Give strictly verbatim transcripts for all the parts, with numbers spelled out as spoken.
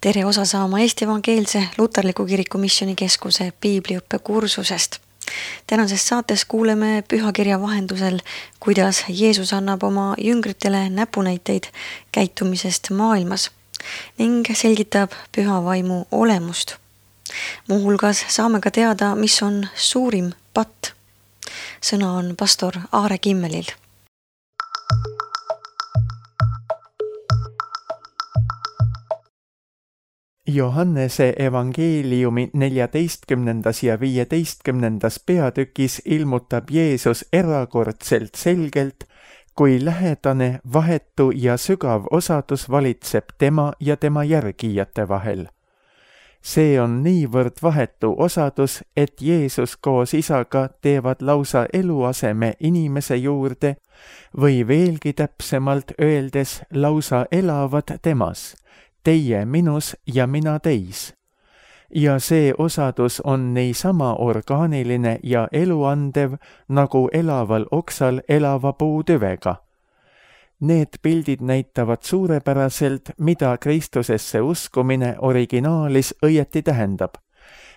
tere osa saama Eesti Evangeelse Luterliku Kiriku Missioonikeskuse piibliõppe kursusest. Tänases saates kuuleme pühakirja vahendusel, kuidas Jeesus annab oma jüngritele näpunäiteid käitumisest maailmas ning selgitab püha vaimu olemust. Muuhulgas saame ka teada, mis on suurim patt. Sõna on pastor Aare Kimmelil. Johannese evangeeliumi neljateistkümnendas ja viieteistkümnendas peatükis ilmutab Jeesus erakordselt selgelt, kui lähedane, vahetu ja sügav osadus valitseb tema ja tema järgijate vahel. See on niivõrd vahetu osadus, et Jeesus koos isaga teevad lausa eluaseme inimese juurde või veelgi täpsemalt öeldes lausa elavad temas, teie minus ja mina teis. Ja see osadus on niisama orgaaniline ja eluandev, nagu elaval oksal elava puutüvega. Need pildid näitavad suurepäraselt, mida Kristusesse uskumine originaalis õieti tähendab.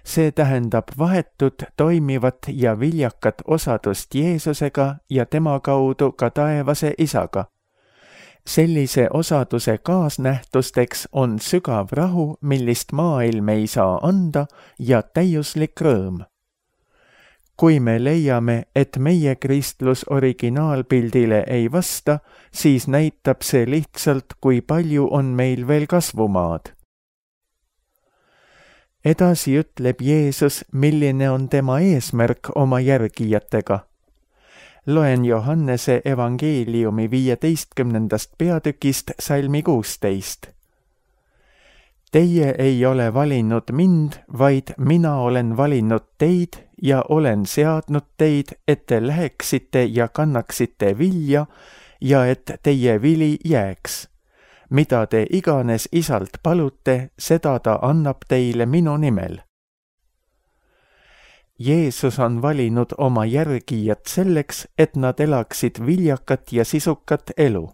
See tähendab vahetut, toimivat ja viljakat osadust Jeesusega ja tema kaudu ka taevase isaga. Sellise osaduse kaasnähtusteks on sügav rahu, millist maailm ei saa anda, ja täiuslik rõõm. Kui me leiame, et meie kristlus originaalpildile ei vasta, siis näitab see lihtsalt, kui palju on meil veel kasvumaad. Edasi ütleb Jeesus, milline on tema eesmärk oma järgijatega. Loen Johannese evangeeliumi viieteistkümnendast peatükist salmi kuusteist. Teie ei ole valinud mind, vaid mina olen valinud teid ja olen seadnud teid, et te läheksite ja kannaksite vilja ja et teie vili jääks. Mida te iganes isalt palute, seda ta annab teile minu nimel. Jeesus on valinud oma järgijad selleks, et nad elaksid viljakat ja sisukat elu.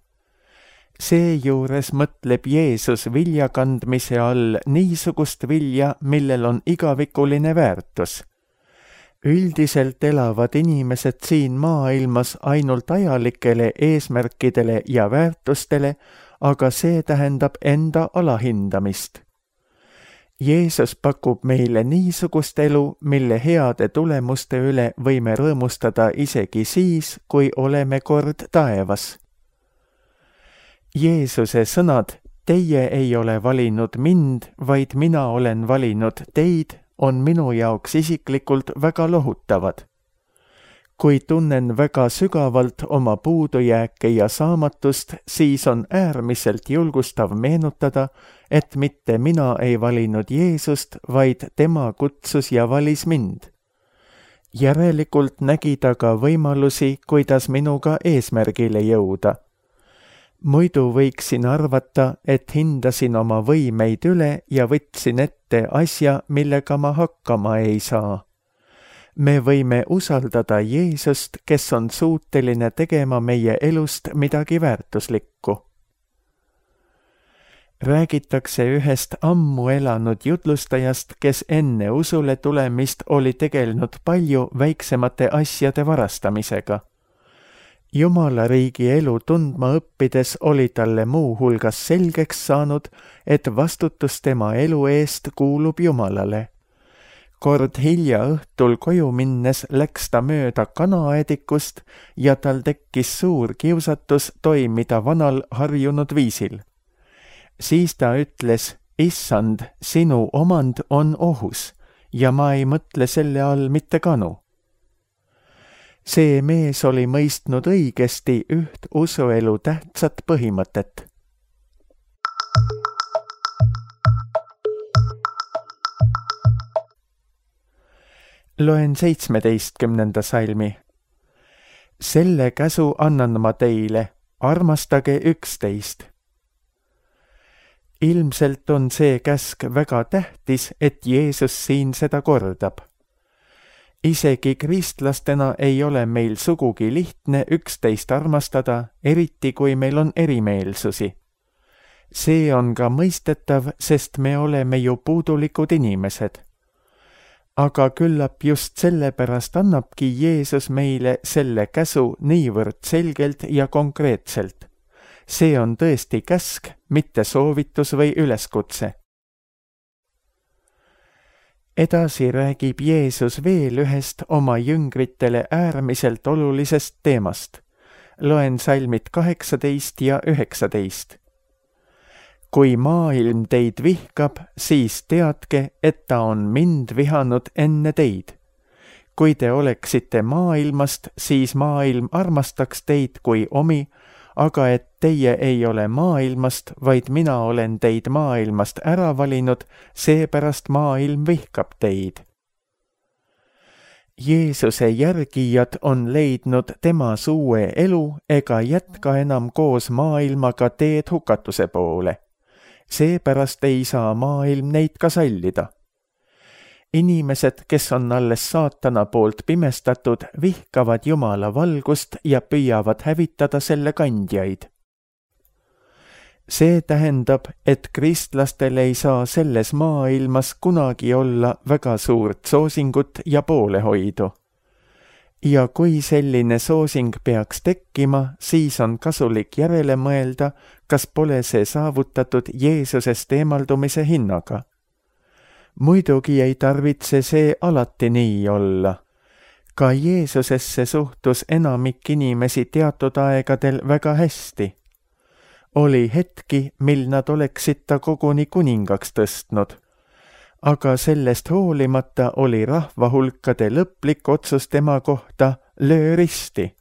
Seejuures mõtleb Jeesus vilja kandmise all niisugust vilja, millel on igavikuline väärtus. Üldiselt elavad inimesed siin maailmas ainult ajalikele eesmärkidele ja väärtustele, aga see tähendab enda alahindamist. Jeesus pakub meile niisugust elu, mille heade tulemuste üle võime rõõmustada isegi siis, kui oleme kord taevas. Jeesuse sõnad, teie ei ole valinud mind, vaid mina olen valinud teid, on minu jaoks isiklikult väga lohutavad. Kui tunnen väga sügavalt oma puudujääke ja saamatust, siis on äärmiselt julgustav meenutada, et mitte mina ei valinud Jeesust, vaid tema kutsus ja valis mind. Järelikult nägi ta ka võimalusi, kuidas minuga eesmärgile jõuda. Muidu võiksin arvata, et hindasin oma võimeid üle ja võtsin ette asja, millega ma hakkama ei saa. Me võime usaldada Jeesust, kes on suuteline tegema meie elust midagi väärtuslikku. Räägitakse ühest ammu elanud jutlustajast, kes enne usule tulemist oli tegelenud palju väiksemate asjade varastamisega. Jumala riigi elu tundma õppides oli talle muu hulgas selgeks saanud, et vastutus tema elu eest kuulub Jumalale. Kord hilja õhtul koju minnes läks ta mööda kanaedikust ja tal tekkis suur kiusatus toimida vanal harjunud viisil. Siis ta ütles, issand, sinu omand on ohus ja ma ei mõtle selle all mitte kanu. See mees oli mõistnud õigesti üht usuelu tähtsat põhimõtet. Loen seitsmeteistkümnenda salmi. Selle käsu annan ma teile, armastage üksteist. Ilmselt on see käsk väga tähtis, et Jeesus siin seda kordab. Isegi kristlastena ei ole meil sugugi lihtne üksteist armastada, eriti kui meil on erimeelsusi. see on ka mõistetav, sest me oleme ju puudulikud inimesed. Aga küllap just sellepärast annabki Jeesus meile selle käsu niivõrd selgelt ja konkreetselt. See on tõesti käsk, mitte soovitus või üleskutse. Edasi räägib Jeesus veel ühest oma jüngritele äärmiselt olulisest teemast. Loen salmid kaheksateist ja üheksateist. Kui maailm teid vihkab, siis teadke, et ta on mind vihanud enne teid. Kui te oleksite maailmast, siis maailm armastaks teid kui omi, aga et teie ei ole maailmast, vaid mina olen teid maailmast ära valinud, seepärast maailm vihkab teid. Jeesuse järgijad on leidnud temas uue elu ega jätka enam koos maailmaga teed hukatuse poole. Seepärast ei saa maailm neid ka sallida. Inimesed, kes on alles saatana poolt pimestatud, vihkavad Jumala valgust ja püüavad hävitada selle kandjaid. See tähendab, et kristlastel ei saa selles maailmas kunagi olla väga suurt soosingut ja poolehoidu. Ja kui selline soosing peaks tekkima, siis on kasulik järele mõelda, kas pole see saavutatud Jeesusest eemaldumise hinnaga. Muidugi ei tarvitse see alati nii olla. Ka Jeesusesse suhtus enamik inimesi teatud aegadel väga hästi. Oli hetki, mil nad oleksid ta koguni kuningaks tõstnud. Aga sellest hoolimata oli rahvahulkade lõplik otsus tema kohta löö risti.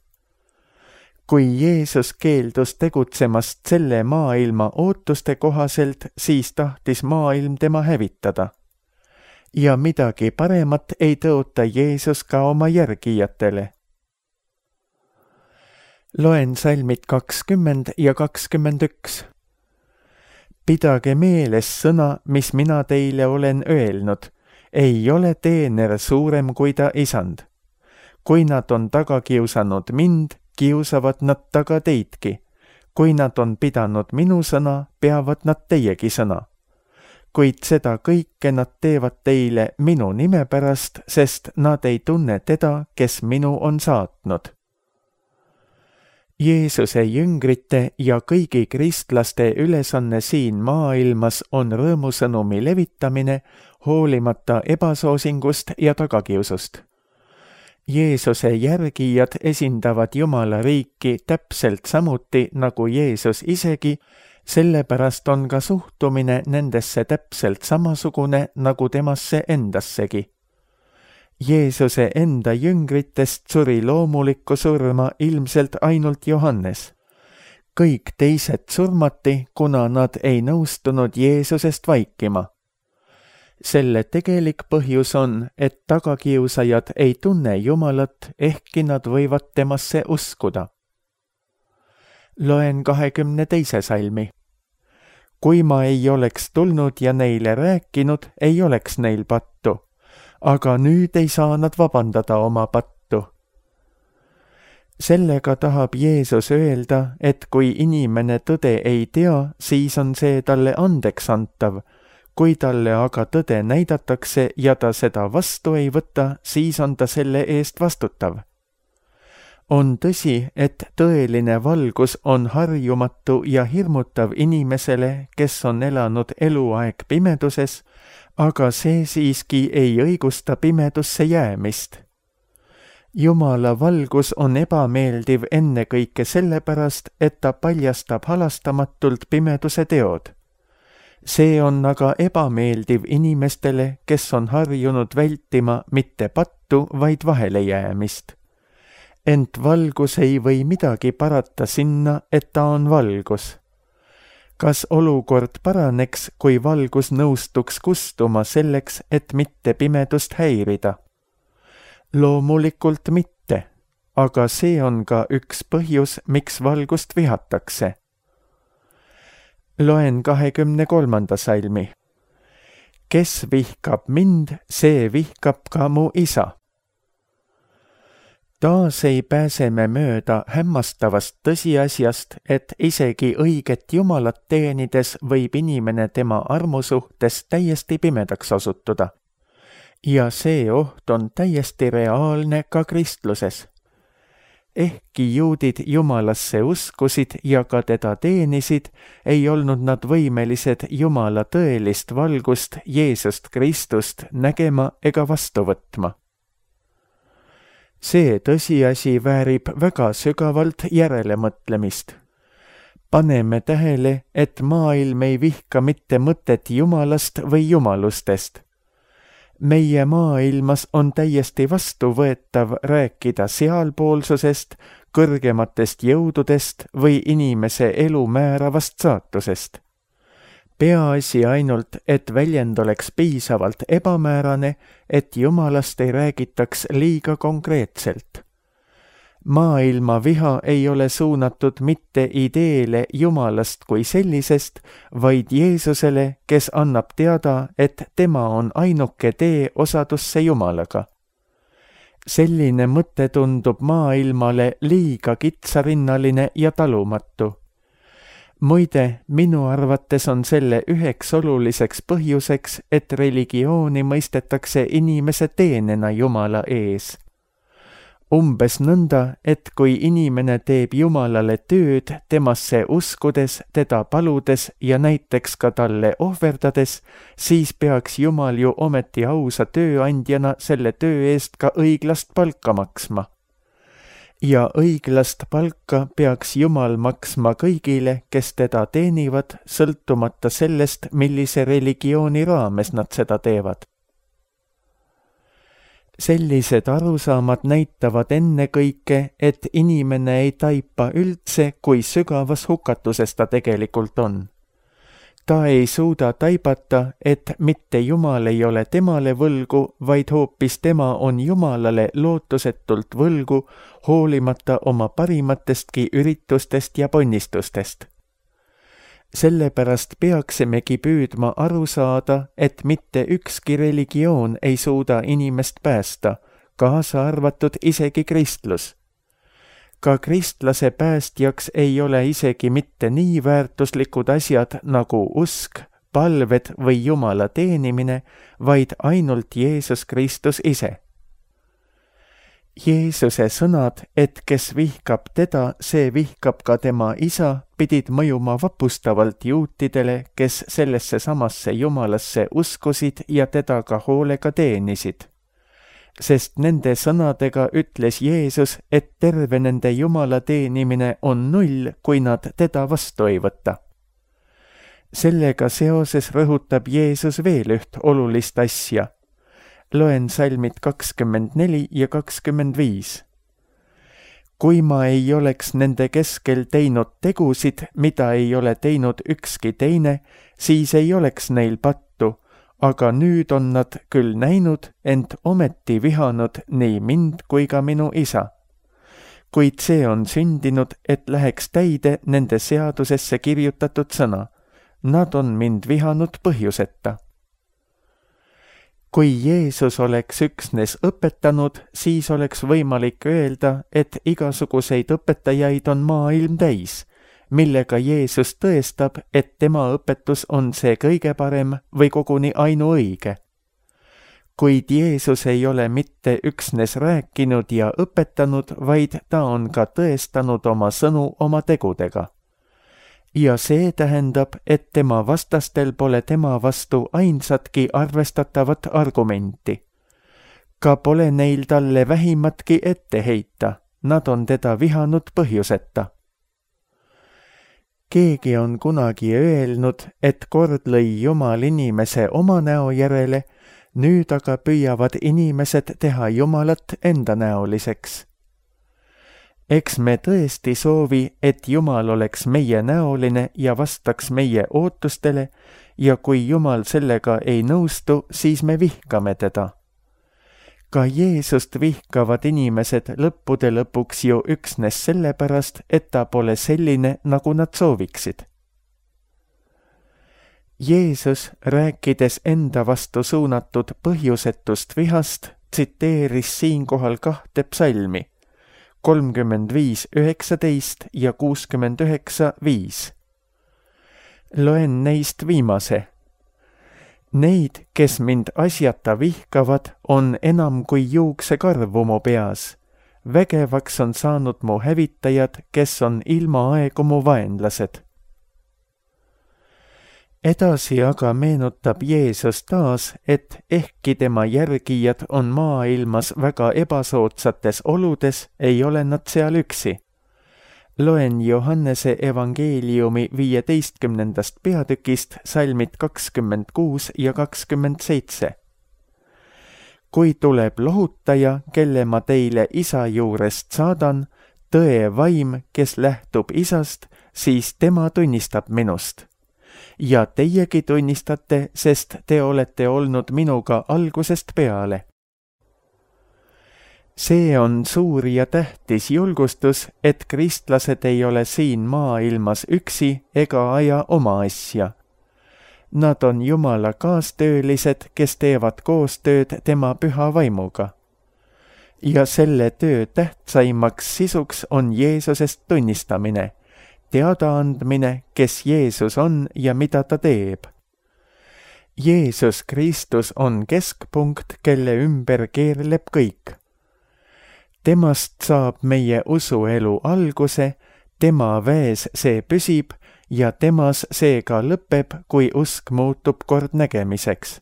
Kui Jeesus keeldus tegutsemast selle maailma ootuste kohaselt, siis tahtis maailm tema hävitada. Ja midagi paremat ei tõota Jeesus ka oma järgijatele. Loen salmid kakskümmend ja kakskümmend üks. Pidage meeles sõna, mis mina teile olen öelnud. Ei ole teener suurem kui ta isand. Kui nad on taga kiusanud mind, kiusavad nad taga teidki. Kui nad on pidanud minu sõna, peavad nad teiegi sõna. Kuid seda kõike nad teevad teile minu nime pärast, sest nad ei tunne teda, kes minu on saatnud. Jeesuse jüngrite ja kõigi kristlaste ülesanne siin maailmas on rõõmusõnumi levitamine, hoolimata ebasoosingust ja tagakiusust. Jeesuse järgijad esindavad Jumala riiki täpselt samuti nagu Jeesus isegi, sellepärast on ka suhtumine nendesse täpselt samasugune nagu temasse endassegi. Jeesuse enda jüngritest suri loomulikku surma ilmselt ainult Johannes. Kõik teised surmati, kuna nad ei nõustunud Jeesusest vaikima. Selle tegelik põhjus on, et tagakiusajad ei tunne Jumalat, ehkki nad võivad temasse uskuda. Loen kahekümne teise salmi. Kui ma ei oleks tulnud ja neile rääkinud, ei oleks neil pattu. Aga nüüd ei saa nad vabandada oma pattu. Sellega tahab Jeesus öelda, et kui inimene tõde ei tea, siis on see talle andeks antav. Kui talle aga tõde näidatakse ja ta seda vastu ei võta, siis on ta selle eest vastutav. On tõsi, et tõeline valgus on harjumatu ja hirmutav inimesele, kes on elanud eluaeg pimeduses, aga see siiski ei õigusta pimedusse jäämist. Jumala valgus on ebameeldiv ennekõike sellepärast, et ta paljastab halastamatult pimeduse teod. See on aga ebameeldiv inimestele, kes on harjunud vältima mitte pattu, vaid vahelejäämist. Ent valgus ei või midagi parata sinna, et ta on valgus. Kas olukord paraneks, kui valgus nõustuks kustuma selleks, et mitte pimedust häirida? Loomulikult mitte, aga see on ka üks põhjus, miks valgust vihatakse. Loen kahekümne kolmanda salmi. Kes vihkab mind, see vihkab ka mu isa. taas ei pääse me mööda hämmastavast tõsiasjast, et isegi õiget Jumalat teenides võib inimene tema armu suhtes täiesti pimedaks osutuda. Ja see oht on täiesti reaalne ka kristluses. Ehkki juudid Jumalasse uskusid ja ka teda teenisid, ei olnud nad võimelised Jumala tõelist valgust Jeesust Kristust nägema ega vastu võtma. See tõsiasi väärib väga sügavalt järelemõtlemist. Paneme tähele, et maailm ei vihka mitte mõtet Jumalast või jumalustest. Meie maailmas on täiesti vastuvõetav rääkida sealpoolsusest, kõrgematest jõududest või inimese elu määravast saatusest. Peaasi ainult, et väljend oleks piisavalt ebamäärane, et Jumalast ei räägitaks liiga konkreetselt. Maailma viha ei ole suunatud mitte ideele Jumalast kui sellisest, vaid Jeesusele, kes annab teada, et tema on ainuke tee osadusse Jumalaga. Selline mõte tundub maailmale liiga kitsarinnaline ja talumatu. Muide, minu arvates on selle üheks oluliseks põhjuseks, et religiooni mõistetakse inimese teenena Jumala ees. Umbes nõnda, et kui inimene teeb Jumalale tööd temasse uskudes, teda paludes ja näiteks ka talle ohverdades, siis peaks Jumal ju ometi ausa tööandjana selle töö eest ka õiglast palka maksma. Ja õiglast palka peaks Jumal maksma kõigile, kes teda teenivad, sõltumata sellest, millise religiooni raames nad seda teevad. Sellised arusaamad näitavad ennekõike, et inimene ei taipa üldse, kui sügavas hukatuses ta tegelikult on. Ta ei suuda taibata, et mitte Jumal ei ole temale võlgu, vaid hoopis tema on Jumalale lootusetult võlgu, hoolimata oma parimatestki üritustest ja ponnistustest. Sellepärast peaksimegi püüdma aru saada, et mitte ükski religioon ei suuda inimest päästa, kaasa arvatud isegi kristlus. Ka kristlase päästjaks ei ole isegi mitte nii väärtuslikud asjad nagu usk, palved või Jumala teenimine, vaid ainult Jeesus Kristus ise. Jeesuse sõnad, et kes vihkab teda, see vihkab ka tema isa, pidid mõjuma vapustavalt juutidele, kes sellesse samasse Jumalasse uskusid ja teda ka hoolega teenisid. Sest nende sõnadega ütles Jeesus, et terve nende Jumala teenimine on null, kui nad teda vastu ei võta. Sellega seoses rõhutab Jeesus veel üht olulist asja. Loen salmid kakskümmend neli ja kakskümmend viis. Kui ma ei oleks nende keskel teinud tegusid, mida ei ole teinud ükski teine, siis ei oleks neil pattu, aga nüüd on nad küll näinud, ent ometi vihanud nii mind kui ka minu isa. Kuid see on sündinud, et läheks täide nende seadusesse kirjutatud sõna. Nad on mind vihanud põhjuseta. Kui Jeesus oleks üksnes õpetanud, siis oleks võimalik öelda, et igasuguseid õpetajaid on maailm täis, millega Jeesus tõestab, et tema õpetus on see kõige parem või koguni ainuõige. Kuid Jeesus ei ole mitte üksnes rääkinud ja õpetanud, vaid ta on ka tõestanud oma sõnu oma tegudega. Ja see tähendab, et tema vastastel pole tema vastu ainsatki arvestatavat argumenti. Ka pole neil talle vähimatki ette heita, nad on teda vihanud põhjuseta. Keegi on kunagi öelnud, et kord lõi Jumal inimese oma näo järele, nüüd aga püüavad inimesed teha Jumalat endanäoliseks. Eks me tõesti soovi, et Jumal oleks meie näoline ja vastaks meie ootustele ja kui Jumal sellega ei nõustu, siis me vihkame teda. Ka Jeesust vihkavad inimesed lõppude lõpuks ju üksnes sellepärast, et ta pole selline, nagu nad sooviksid. Jeesus, rääkides enda vastu suunatud põhjusetust vihast, tsiteeris siinkohal kahte psalmi. kolmkümmend viis üheksateist ja kuuskümmend üheksa viis. Loen neist viimase. Neid, kes mind asjata vihkavad, on enam kui juuksekarvu mu peas. Vägevaks on saanud mu hävitajad, kes on ilma aegu mu vaenlased. Edasi aga meenutab Jeesus taas, et ehkki tema järgijad on maailmas väga ebasoodsates oludes, ei ole nad seal üksi. Loen Johannese evangeeliumi viieteistkümnendast peatükist salmid kakskümmend kuus ja kakskümmend seitse. Kui tuleb lohutaja, kelle ma teile isa juurest saadan, tõe vaim, kes lähtub isast, siis tema tunnistab minust. Ja teiegi tunnistate, sest te olete olnud minuga algusest peale. See on suur ja tähtis julgustus, et kristlased ei ole siin maailmas üksi ega aja oma asja. Nad on Jumala kaastöölised, kes teevad koostööd tema püha vaimuga. Ja selle töö tähtsaimaks sisuks on Jeesusest tunnistamine, teadaandmine, kes Jeesus on ja mida ta teeb. Jeesus Kristus on keskpunkt, kelle ümber keerleb kõik. Temast saab meie usuelu alguse, tema väes see püsib ja temas see ka lõpeb, kui usk muutub kord nägemiseks.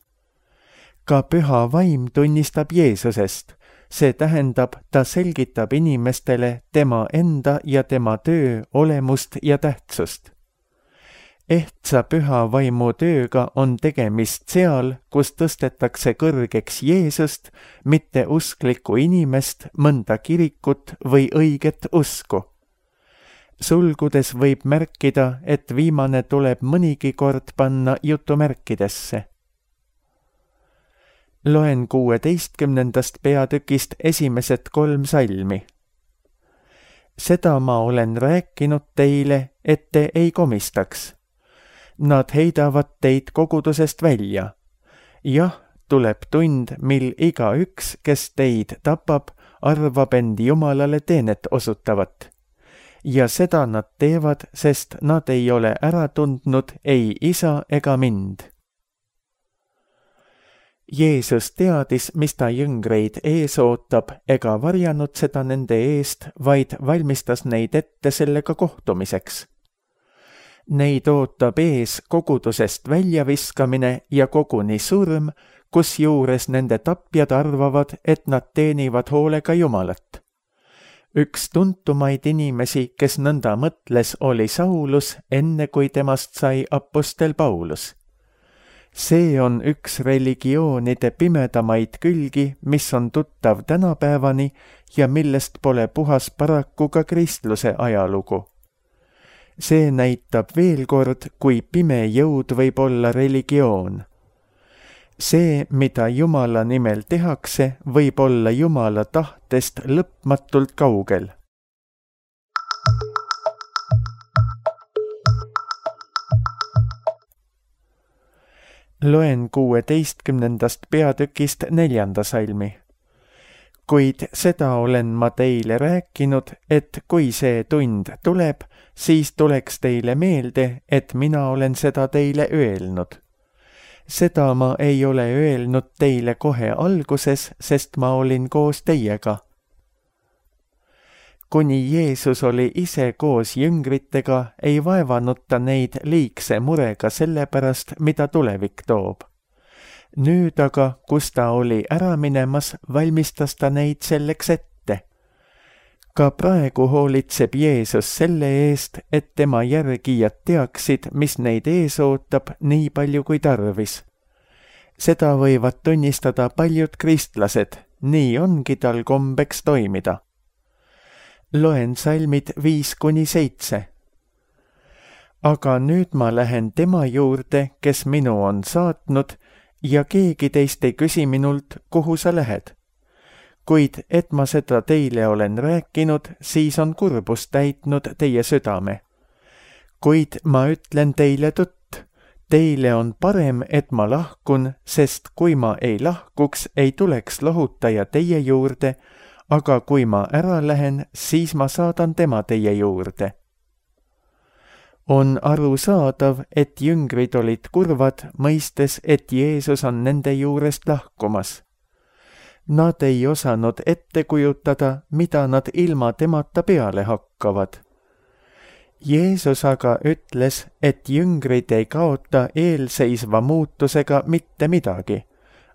Ka püha vaim tunnistab Jeesusest, see tähendab, ta selgitab inimestele tema enda ja tema töö olemust ja tähtsust. Ehtsa püha vaimu tööga on tegemist seal, kus tõstetakse kõrgeks Jeesust, mitte usklikku inimest, mõnda kirikut või õiget usku. Sulgudes võib märkida, et viimane tuleb mõnigi kord panna jutumärkidesse. Loen kuueteistkümnendast peatükist esimesed kolm salmi. Seda ma olen rääkinud teile, et te ei komistaks. Nad heidavad teid kogudusest välja. Jah, tuleb tund, mil igaüks, kes teid tapab, arvab end Jumalale teenet osutavat. Ja seda nad teevad, sest nad ei ole ära tundnud ei isa ega mind. Jeesus teadis, mis ta jüngreid ees ootab, ega varjanud seda nende eest, vaid valmistas neid ette sellega kohtumiseks. Neid ootab ees kogudusest väljaviskamine ja koguni surm, kusjuures nende tapjad arvavad, et nad teenivad hoolega Jumalat. Üks tuntumaid inimesi, kes nõnda mõtles, oli Saulus, enne kui temast sai apostel Paulus. See on üks religioonide pimedamaid külgi, mis on tuttav tänapäevani ja millest pole puhas paraku ka kristluse ajalugu. See näitab veel kord, kui pime jõud võib olla religioon. See, mida Jumala nimel tehakse, võib olla Jumala tahtest lõpmatult kaugel. Loen kuueteistkümnendast peatükist neljanda salmi. Kuid seda olen ma teile rääkinud, et kui see tund tuleb, siis tuleks teile meelde, et mina olen seda teile öelnud. Seda ma ei ole öelnud teile kohe alguses, sest ma olin koos teiega. Kuni Jeesus oli ise koos jüngritega, ei vaevanud ta neid liigse murega selle pärast, mida tulevik toob. Nüüd aga, kus ta oli ära minemas, valmistas ta neid selleks ette. Ka praegu hoolitseb Jeesus selle eest, et tema järgijad teaksid, mis neid ees ootab nii palju kui tarvis. Seda võivad tunnistada paljud kristlased, nii ongi tal kombeks toimida. Loen salmid viis kuni seitse. Aga nüüd ma lähen tema juurde, kes minu on saatnud, ja keegi teist ei küsi minult, kuhu sa lähed. Kuid et ma seda teile olen rääkinud, siis on kurbust täitnud teie südame. Kuid ma ütlen teile tõtt, teile on parem, et ma lahkun, sest kui ma ei lahkuks, ei tuleks lohutaja teie juurde, aga kui ma ära lähen, siis ma saadan tema teie juurde. On arusaadav, et jüngrid olid kurvad, mõistes, et Jeesus on nende juurest lahkumas. Nad ei osanud ette kujutada, mida nad ilma temata peale hakkavad. Jeesus aga ütles, et jüngrid ei kaota eelseisva muutusega mitte midagi.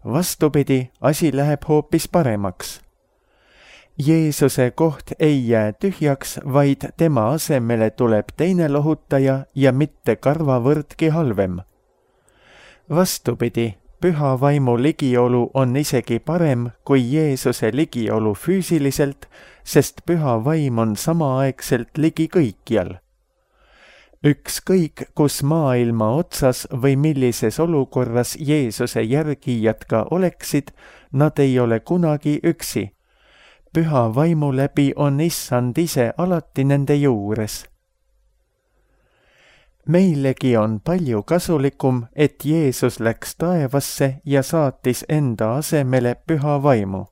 Vastupidi, asi läheb hoopis paremaks. Jeesuse koht ei jää tühjaks, vaid tema asemele tuleb teine lohutaja ja mitte karvavõrdki halvem. Vastupidi, püha vaimu ligiolu on isegi parem kui Jeesuse ligiolu füüsiliselt, sest püha vaim on samaaegselt ligi kõikjal. Ükskõik, kus maailma otsas või millises olukorras Jeesuse järgijad ka oleksid, nad ei ole kunagi üksi. Püha vaimu läbi on Issand ise alati nende juures. Meilegi on palju kasulikum, et Jeesus läks taevasse ja saatis enda asemele püha vaimu.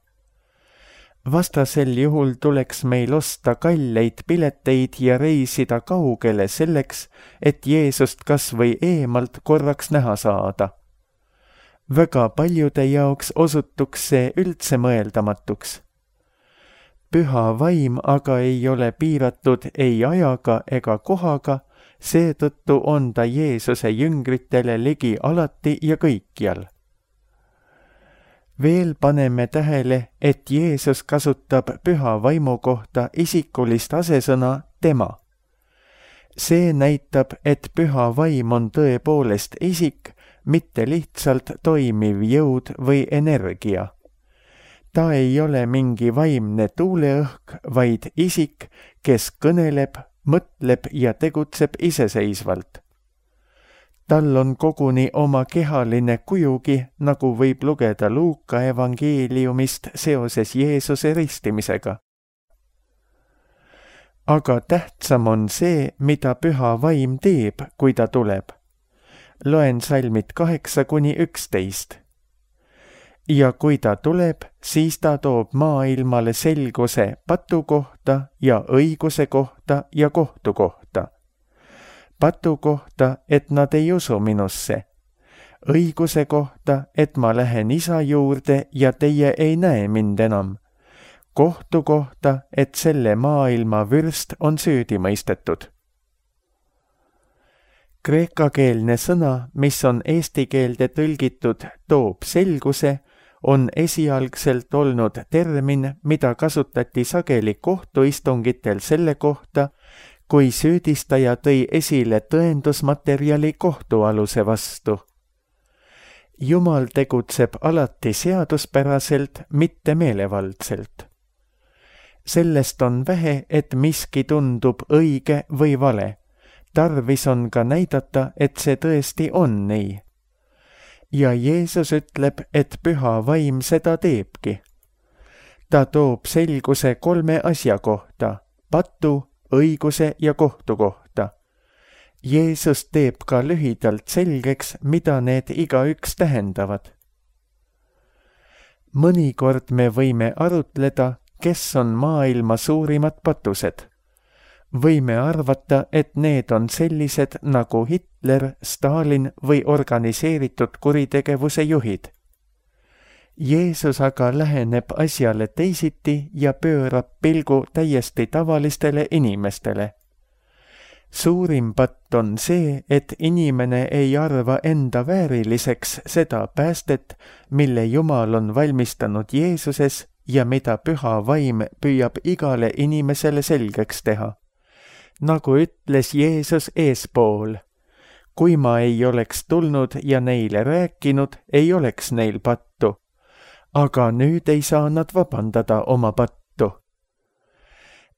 Vastasel juhul tuleks meil osta kalleid pileteid ja reisida kaugele selleks, et Jeesust kas või eemalt korraks näha saada. Väga paljude jaoks osutuks see üldse mõeldamatuks. Püha vaim aga ei ole piiratud ei ajaga ega kohaga, seetõttu on ta Jeesuse jüngritele ligi alati ja kõikjal. Veel paneme tähele, et Jeesus kasutab püha vaimu kohta isikulist asesõna tema. See näitab, et püha vaim on tõepoolest isik, mitte lihtsalt toimiv jõud või energia. Ta ei ole mingi vaimne tuuleõhk, vaid isik, kes kõneleb, mõtleb ja tegutseb iseseisvalt. Tal on koguni oma kehaline kujugi, nagu võib lugeda Luuka evangeeliumist seoses Jeesuse ristimisega. Aga tähtsam on see, mida püha vaim teeb, kui ta tuleb. Loen salmid kaheksa kuni üksteist. Ja kui ta tuleb, siis ta toob maailmale selguse patu kohta ja õiguse kohta ja kohtu kohta. Patu kohta, et nad ei usu minusse. Õiguse kohta, et ma lähen isa juurde ja teie ei näe mind enam. Kohtu kohta, et selle maailma vürst on süüdi mõistetud. Kreekakeelne sõna, mis on eesti keelde tõlgitud toob selguse, on esialgselt olnud termin, mida kasutati sageli kohtuistungitel selle kohta, kui süüdistaja tõi esile tõendusmaterjali kohtualuse vastu. Jumal tegutseb alati seaduspäraselt, mitte meelevaldselt. Sellest on vähe, et miski tundub õige või vale. Tarvis on ka näidata, et see tõesti on nii. Ja Jeesus ütleb, et püha vaim seda teebki. Ta toob selguse kolme asja kohta, patu, õiguse ja kohtu kohta. Jeesus teeb ka lühidalt selgeks, mida need igaüks tähendavad. Mõnikord me võime arutleda, kes on maailma suurimad patused. Võime arvata, et need on sellised nagu Hitler, Stalin või organiseeritud kuritegevuse juhid. Jeesus aga läheneb asjale teisiti ja pöörab pilgu täiesti tavalistele inimestele. Suurim patt on see, et inimene ei arva enda vääriliseks seda päästet, mille Jumal on valmistanud Jeesuses ja mida püha vaim püüab igale inimesele selgeks teha. Nagu ütles Jeesus eespool, kui ma ei oleks tulnud ja neile rääkinud, ei oleks neil pattu. Aga nüüd ei saa nad vabandada oma pattu.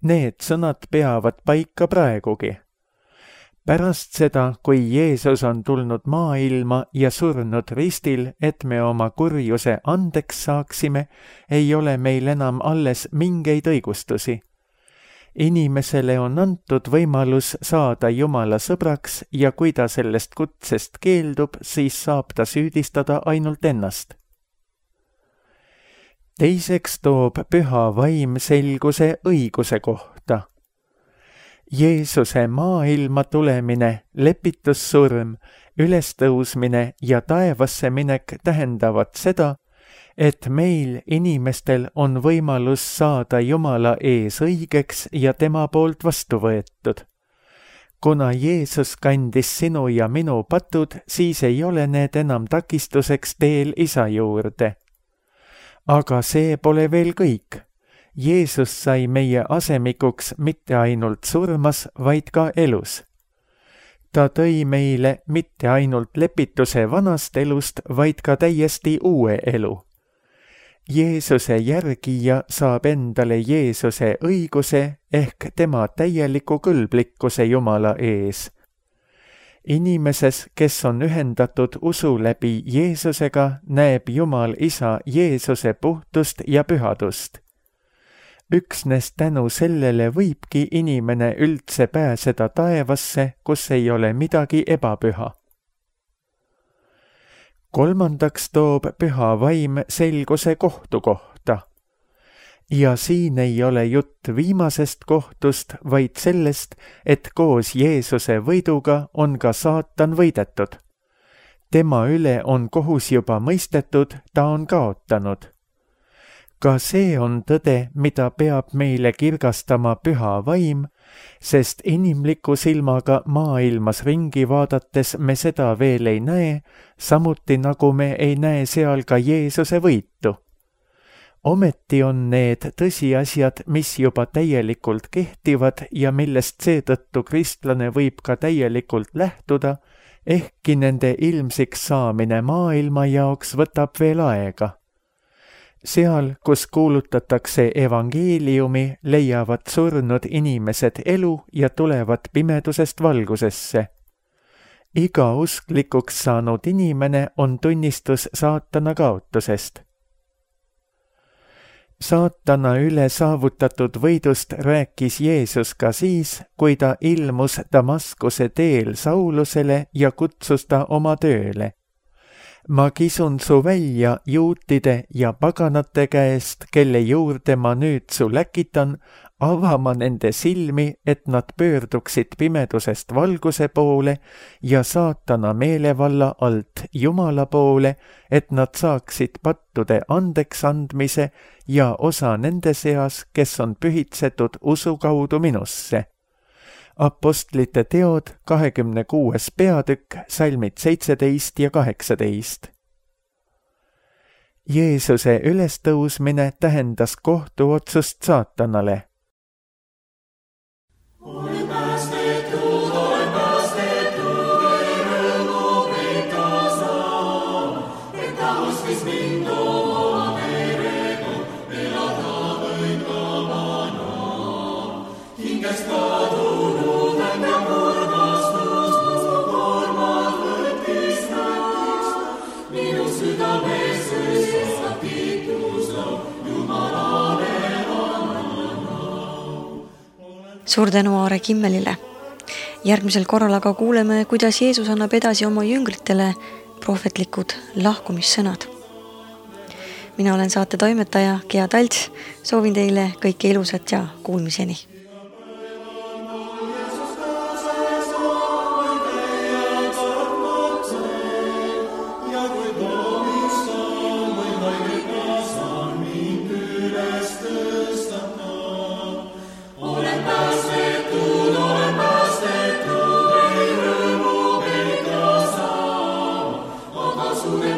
Need sõnad peavad paika praegugi. Pärast seda, kui Jeesus on tulnud maailma ja surnud ristil, et me oma kurjuse andeks saaksime, ei ole meil enam alles mingeid õigustusi. Inimesele on antud võimalus saada Jumala sõbraks ja kui ta sellest kutsest keeldub, siis saab ta süüdistada ainult ennast. teiseks toob püha vaim selguse õiguse kohta. Jeesuse maailma tulemine, lepitussurm, ülestõusmine ja taevasse minek tähendavad seda, et meil inimestel on võimalus saada Jumala ees õigeks ja tema poolt vastu võetud. Kuna Jeesus kandis sinu ja minu patud, siis ei ole need enam takistuseks teel isa juurde. Aga see pole veel kõik. Jeesus sai meie asemikuks mitte ainult surmas, vaid ka elus. Ta tõi meile mitte ainult lepituse vanast elust, vaid ka täiesti uue elu. Jeesuse järgija saab endale Jeesuse õiguse ehk tema täieliku kõlblikkuse Jumala ees. Inimeses, kes on ühendatud usu läbi Jeesusega, näeb Jumal isa Jeesuse puhtust ja pühadust. Üksnes tänu sellele võibki inimene üldse pääseda taevasse, kus ei ole midagi ebapüha. Kolmandaks toob püha vaim selguse kohtu kohta. Ja siin ei ole jutt viimasest kohtust, vaid sellest, et koos Jeesuse võiduga on ka saatan võidetud. Tema üle on kohus juba mõistetud, ta on kaotanud. Ka see on tõde, mida peab meile kirgastama püha vaim, sest inimliku silmaga maailmas ringi vaadates me seda veel ei näe, samuti nagu me ei näe seal ka Jeesuse võitu. Ometi on need tõsiasjad, mis juba täielikult kehtivad ja millest seetõttu kristlane võib ka täielikult lähtuda, ehkki nende ilmsiks saamine maailma jaoks võtab veel aega. Seal, kus kuulutatakse evangeeliumi, leiavad surnud inimesed elu ja tulevad pimedusest valgusesse. Iga usklikuks saanud inimene on tunnistus saatana kaotusest. Saatana üle saavutatud võidust rääkis Jeesus ka siis, kui ta ilmus Damaskuse teel Saulusele ja kutsus ta oma tööle. Ma kisun su välja juutide ja paganate käest, kelle juurde ma nüüd su läkitan, avama nende silmi, et nad pöörduksid pimedusest valguse poole ja saatana meelevalla alt Jumala poole, et nad saaksid pattude andeks andmise ja osa nende seas, kes on pühitsetud usu kaudu minusse. Apostlite teod, kahekümne kuues peatükk, salmid seitseteist ja kaheksateist. Jeesuse ülestõusmine tähendas kohtuotsust saatanale. Suur tänu Aare Kimmelile. Järgmisel korral aga kuuleme, kuidas Jeesus annab edasi oma jüngritele prohvetlikud lahkumissõnad. Mina olen saate toimetaja Gea Talts, soovin teile kõike ilusat ja kuulmiseni. Sulle